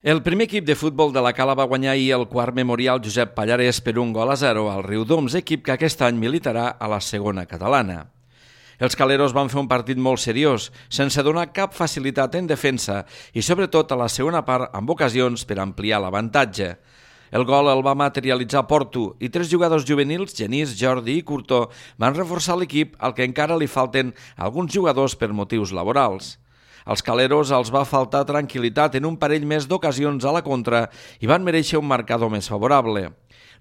El primer equip de futbol de la Cala va guanyar ahir el quart memorial Josep Pallarès per 1-0 al Riudoms, equip que aquest any militarà a la segona catalana. Els caleros van fer un partit molt seriós, sense donar cap facilitat en defensa i sobretot a la segona part amb ocasions per ampliar l'avantatge. El gol el va materialitzar Porto i 3 jugadors juvenils, Genís, Jordi i Curto, van reforçar l'equip al que encara li falten alguns jugadors per motius laborals. Als caleros els va faltar tranquil·litat en un parell més d'ocasions a la contra i van mereixer un marcador més favorable.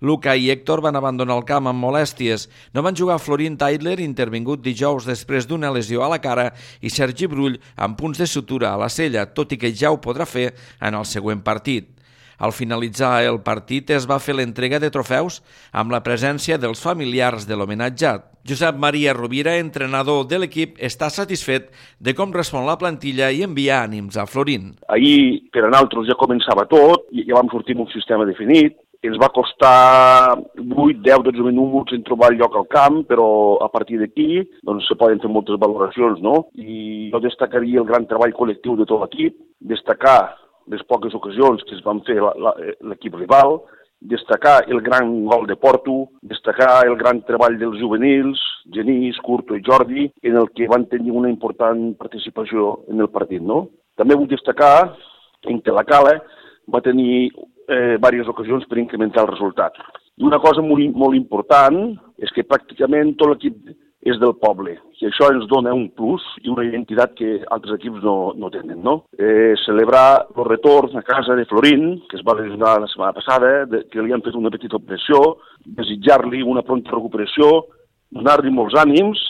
Luca i Héctor van abandonar el camp amb molèsties. No van jugar Florin Taidler, intervingut dijous després d'una lesió a la cara, i Sergi Brull amb punts de sutura a la cella, tot i que ja ho podrà fer en el següent partit. Al finalitzar el partit es va fer l'entrega de trofeus amb la presència dels familiars de l'homenatjat. Josep Maria Rovira, entrenador de l'equip, està satisfet de com respon la plantilla i envia ànims a Florin. Ahir per a nosaltres ja començava tot, ja vam sortir amb un sistema definit. Ens va costar 8, 10, 12 minuts en trobar el lloc al camp, però a partir d'aquí doncs, se poden fer moltes valoracions, no? I jo destacaria el gran treball col·lectiu de tot l'equip, destacar les poques ocasions que es van fer l'equip rival, destacar el gran gol de Porto, destacar el gran treball dels juvenils, Genís, Curto i Jordi, en el que van tenir una important participació en el partit, no? També vull destacar en que la Cala va tenir diverses ocasions per incrementar el resultat. I una cosa molt important és que pràcticament tot l'equip és del poble, i això ens dona un plus i una identitat que altres equips no tenen, no? Celebrar el retorn a casa de Florin, que es va lesionar la setmana passada, que li han fet una petita operació, desitjar-li una pronta recuperació, donar-li molts ànims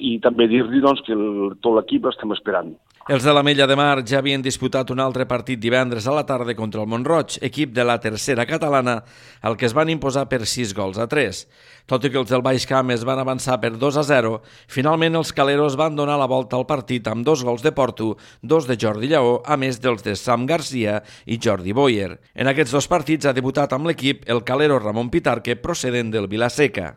i també dir-li doncs, que tot l'equip l'estem esperant. Els de l'Ametlla de Mar ja havien disputat un altre partit divendres a la tarda contra el Mont-roig, equip de la tercera catalana, al que es van imposar per 6-3. Tot i que els del Baix Camp es van avançar per 2-0, finalment els caleros van donar la volta al partit amb 2 gols de Porto, 2 de Jordi Lleó, a més dels de Sam Garcia i Jordi Boyer. En aquests 2 partits ha debutat amb l'equip el calero Ramon Pitarque, procedent del Vila-seca.